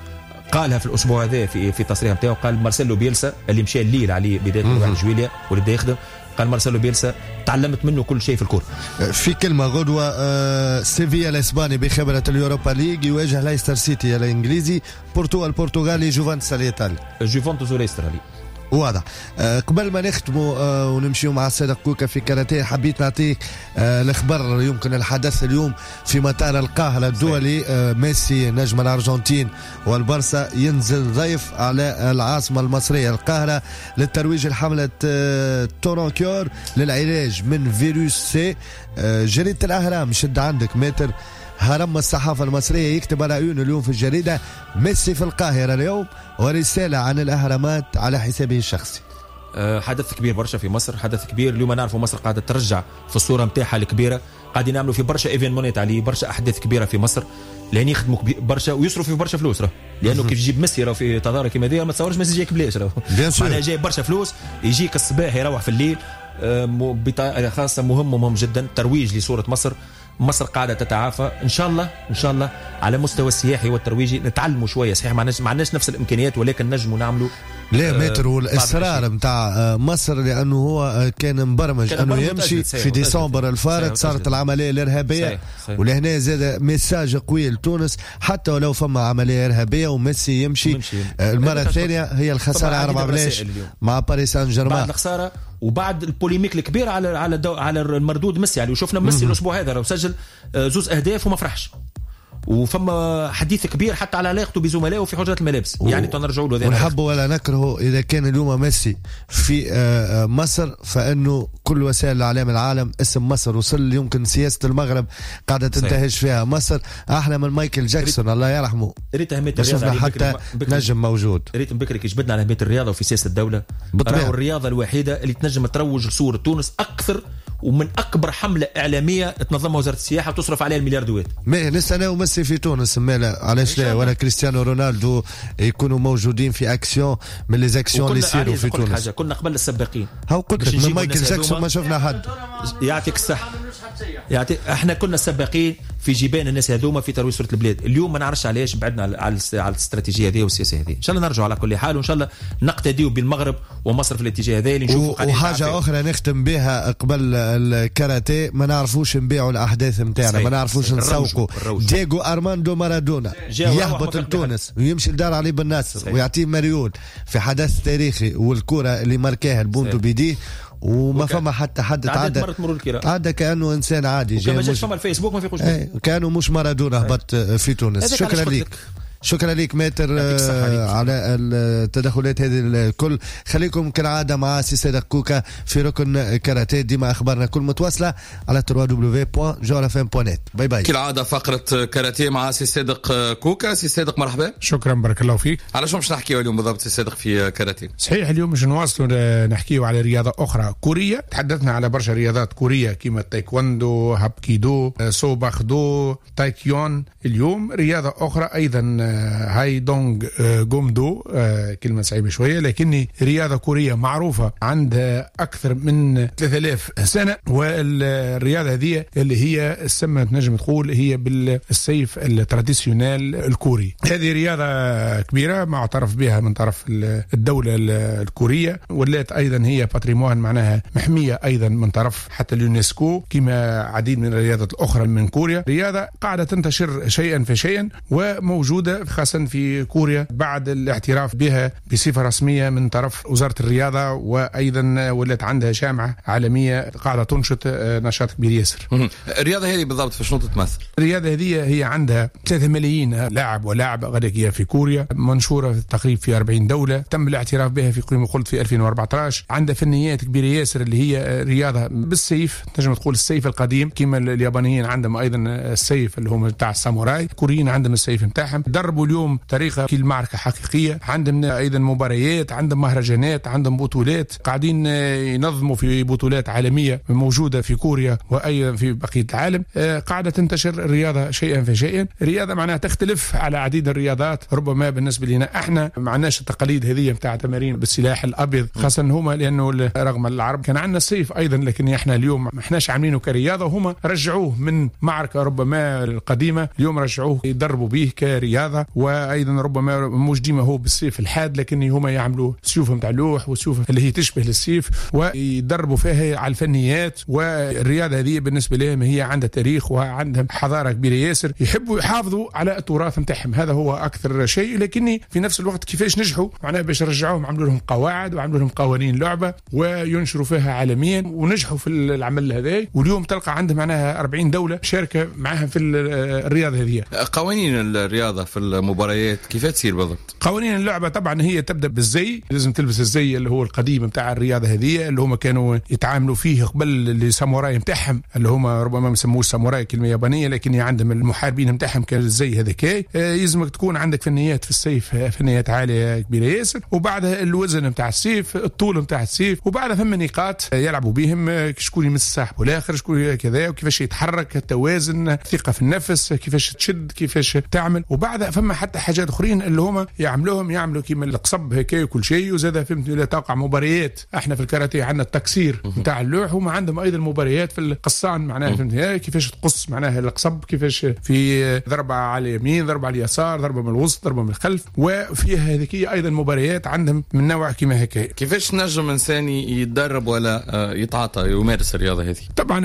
قالها في الاسبوع هذا في التصريح نتاعو، قال مارسيلو بيلسا اللي مشى الليل عليه بداية 1 جويليا واللي بدا يخدم، قال مارسيلو بيلسا تعلمت منه كل شيء في الكره. في كلمة غدوه سيفيا الاسباني بخبره اليوروبا ليج يواجه ليستر سيتي الانجليزي، بورتو البرتغالي، جوفنتوس الايطالي. جوفنتوس وليستر. واضح. قبل ما نختموا ونمشيو مع الصديق كوكا في كاراتيه، حبيت نعطيك الخبر يمكن الحدث اليوم في مطار القاهرة الدولي. ميسي نجم الأرجنتين والبرسا ينزل ضيف على العاصمة المصرية القاهرة للترويج لحملة تورونكيور للعلاج من فيروس سي. جريدة الأهرام شد عندك متر هرم الصحافة المصرية يكتب على عيونه اليوم في الجريدة ميسي في القاهرة اليوم ورسالة عن الأهرامات على حسابه الشخصي. حدث كبير برشا في مصر، حدث كبير اليوم. نعرفوا مصر قاعدة ترجع في الصورة متاعها الكبيرة، قاعدين نعملوا في برشا événement ات عليه، برشا أحداث كبيرة في مصر، لأن يخدموا برشا ويصرفوا في برشا فلوس راه، لأنه كيف تجيب ميسي راه في تظاهرة كيما دي ما تصورش ميسي جايك بلاش راه، معناها جايب برشا فلوس، يجيك الصباح يروح في الليل. بطريقة خاصة مهم جدا ترويج لصورة مصر. مصر قاعدة تتعافى إن شاء الله، إن شاء الله على مستوى السياحي والترويجي نتعلموا شوية. صحيح ما عندناش نفس الإمكانيات، ولكن نجموا نعملوا. لا متر والإصرار متاع مصر، لأنه هو كان مبرمج أنه يمشي في ديسمبر الفارط، صارت العملية الإرهابية، ولهنا زاد message قوي لتونس حتى ولو فما عملية إرهابية وميسي يمشي. المرة الثانية هي الخسارة 4-0 مع باريس سان جيرمان، بعد الخسارة وبعد ال polémique الكبير على على على المردود ميسي. يعني وشفنا ميسي الاسبوع هذا سجل 2 أهداف وما فرحش، وفما حديث كبير حتى على علاقته بزملائه في حجرات الملابس. يعني تنرجعوا له ونحبه ولا نكرهه، اذا كان اليوم ميسي في مصر فانه كل وسائل الاعلام العالم اسم مصر وصل. يمكن سياسة المغرب قاعدة تنتهج فيها مصر احلى من مايكل جاكسون الله يرحمه. ريت اهمية الرياضة حتى نجم موجود. ريت بكري كي جبدنا على اهمية الرياضة وفي سياسة الدولة، راهو الرياضة الوحيدة اللي تنجم تروج لصورة تونس اكثر ومن اكبر حمله اعلامية تنظمها وزارة السياحة وتصرف عليها الملياردوات. mais نستناو ميسي في تونس، مالا علاش لا، ولا كريستيانو رونالدو يكونوا موجودين في اكسيون من les actions اللي يصيروا في تونس. حاجة كنا قبل السباقين، هاو قلت لك من مايكل جاكسون ما شفنا حد. يعطيك الصحة، يعطيك، احنا كنا السباقين في جيبان الناس هذوما في ترويج صوره البلاد. اليوم ما نعرفش علاش بعدنا على الاستراتيجية هذه والسياسة هذه. ان شاء الله نرجعوا على كل حال، وان شاء الله نقتديوا بالمغرب ومصر في الاتجاه هذا اللي نشوفوا. وحاجه اخرى نختم بها قبل الكاراتيه، ما نعرفوش نبيعوا الاحداث نتاعنا، ما نعرفوش نسوقوا. دييغو ارماندو مارادونا يهبط لتونس ويمشي لدار علي بن ناصر ويعطيه مريول في حدث تاريخي، والكره اللي ماركاها البونتو بيديه، وما فما حتى حد تعدى كانه انسان عادي. جاي مش فما الفيسبوك ما فيقوش، كانه مش مارادونا هبط في تونس. شكرا لك، شكرا لك ماتر على التدخلات هذه الكل. خليكم كالعادة مع سي صادق كوكا في ركن كاراتيه، ديما اخبارنا كل متواصلة على www.jawharafm.net. bye bye. كالعادة فقره كاراتيه مع سي صادق كوكا. سي صادق مرحبا. شكرا، بارك الله فيك. على شو باش نحكيو اليوم بالضبط سي صادق في كاراتيه؟ صحيح، اليوم باش نواصلوا نحكيو على رياضة اخرى كوريه. تحدثنا على برشا رياضات كوريه كيما التايكوندو، هابكيدو، سوباخدو، تايكيون. اليوم رياضة اخرى ايضا، هايدونغ جومدو، كلمة صعيبة شوية، لكن رياضة كورية معروفة عندها أكثر من 3000 سنة. والرياضة هذه اللي هي السمة تنجم تقول هي بالسيف ال traditionnel الكوري. هذه رياضة كبيرة معترف بها من طرف الدولة الكورية، ولات أيضا هي patrimoine، معناها محمية أيضا من طرف حتى اليونسكو، كما عديد من الرياضات الأخرى من كوريا. رياضة قاعدة تنتشر شيئا فشيئا وموجودة خاصة في كوريا بعد الاعتراف بها بصفة رسمية من طرف وزارة الرياضة، وأيضا ولات عندها جامعة عالمية قاعدة تنشط نشاط كبير ياسر. الرياضة هذه بالضبط في شنو تتمثل؟ الرياضة هذه هي عندها 3 ملايين لاعب ولاعبة غادية في كوريا، منشورة تقريبا في 40 دولة، تم الاعتراف بها في كما قلت في 2014. عندها فنيات كبيرة ياسر اللي هي رياضة بالسيف، تنجم تقول السيف القديم، كما اليابانيين عندهم أيضا السيف اللي هم تاع الساموراي، الكوريين عندهم السيف نتاعهم. دربوا اليوم طريقة كل معركة حقيقية، عندهم أيضا مباريات، عندهم مهرجانات، عندهم بطولات، قاعدين ينظموا في بطولات عالمية موجودة في كوريا وأيضا في بقية العالم. قاعدة تنتشر الرياضة شيئا فشيئا. الرياضة معناها تختلف على عديد الرياضات، ربما بالنسبة لنا احنا ما عندناش التقاليد هذه نتاع تمارين بالسلاح الأبيض، خاصة هما لأنه رغم العرب كان عندنا السيف أيضا، لكن احنا اليوم ما احناش عاملينه كرياضة، وهما رجعوه من معركة ربما القديمة، اليوم رجعوه يدربوا به كرياضة. وايضا ربما مش ديما هو بالسيف الحاد، لكن هما يعملوا سيوف نتاع لوح وسيوف اللي هي تشبه للسيف ويدربوا فيها على الفنيات. والرياضة هذه بالنسبة لهم هي عندها تاريخ وعندها حضارة كبيرة ياسر، يحبوا يحافظوا على التراث نتاعهم، هذا هو اكثر شيء. لكن في نفس الوقت كيفاش نجحوا معناها باش رجعوهم، عملوا لهم قواعد وعملوا لهم قوانين لعبه وينشروا فيها عالميا، ونجحوا في العمل هذا. واليوم تلقى عندهم معناها 40 دولة شاركه معاهم في الرياضة هذه. قوانين الرياضة في المباريات كيف تصير بالضبط؟ قوانين اللعبة طبعا هي تبدا بالزي، لازم تلبس الزي اللي هو القديم نتاع الرياضة هذه اللي هما كانوا يتعاملوا فيه قبل الساموراي نتاعهم، اللي هما ربما ما يسموش ساموراي كلمة يابانية، لكن عندهم المحاربين نتاعهم كان الزي هذاك. يلزمك تكون عندك فنيات في السيف، فنيات عالية كبيرة ياسر، وبعدها الوزن نتاع السيف، الطول نتاع السيف، وبعدها ثم نقاط يلعبوا بهم، شكون يمس صاحبه الاخر، شكون كذا، وكيفاش يتحرك، التوازن، الثقة في النفس، كيفاش تشد، كيفاش تعمل. وبعدها فما حتى حاجات اخرين اللي هما يعملوهم، يعملوا كيما القصب هكا وكل شيء. وزاد فهمت لا توقع مباريات، احنا في الكاراتيه عندنا التكسير نتاع اللوح، وما عندهم ايضا مباريات في القصان، معناها فهمت كيفاش تقص معناها القصب، كيفاش في ضربه على اليمين، ضربه على اليسار، ضربه من الوسط، ضربه من الخلف، وفيها هذيك ايضا مباريات عندهم من نوع كيما هكا. كيفاش نجم انسان يتدرب ولا يتعاطى يمارس الرياضة هذه؟ طبعا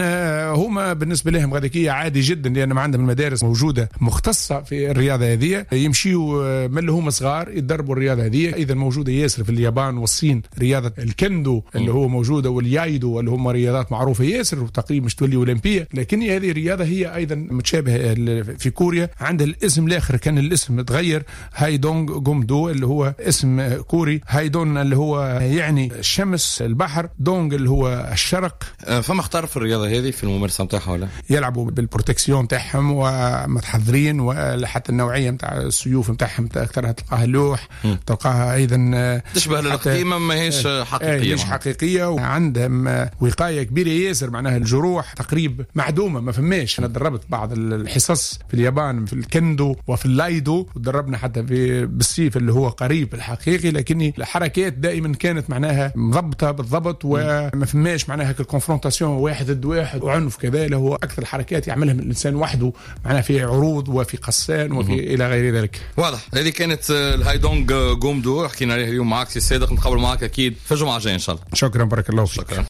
هما بالنسبة لهم هذيك عادي جدا، لان عندهم المدارس موجودة مختصة في الرياضة هذه، يمشيوا من اللي هما صغار يتدربوا الرياضة هذه. ايضا موجودة ياسر في اليابان والصين رياضة الكندو اللي هو موجودة، واليايدو اللي هما رياضات معروفة ياسر وتقريبا مش تولي اولمبيه، لكن هذه الرياضة هي ايضا متشابهة في كوريا. عندها الاسم الاخر، كان الاسم تغير، هايدونغ جومدو اللي هو اسم كوري، هايدون اللي هو يعني الشمس البحر، دونغ اللي هو الشرق. فما اختار في الرياضة هذه في الممارسة نتاعها ولا؟ يلعبوا بال protection تاعهم ومتحضرين، وحتى النوعية نتاع نتاع السيوف نتاعهم اكثرها تلقاها اللوح، تلقاها ايضا تشبه للقديمه، ماهيش حقيقيه. مش حقيقيه، وعندهم وقاية كبيرة ياسر، معناها الجروح تقريب معدومه، ما فماش. انا دربت بعض الحصص في اليابان في الكندو وفي اللايدو، ودربنا حتى في بالسيف اللي هو قريب الحقيقي، لكن الحركات دائما كانت معناها مضبطه بالضبط، وما فماش معناها ال confrontation واحد ضد واحد وعنف كذا. اللي هو اكثر الحركات يعملها الانسان وحده، معناها في عروض وفي قصان وفي الى غير ذلك. واضح. هذه كانت الهايدونغ جومدو، حكينا عليها اليوم معك سي صادق، نتقابل معك اكيد في الجمعة الجاية ان شاء الله. شكرا، بارك الله فيك. شكرا.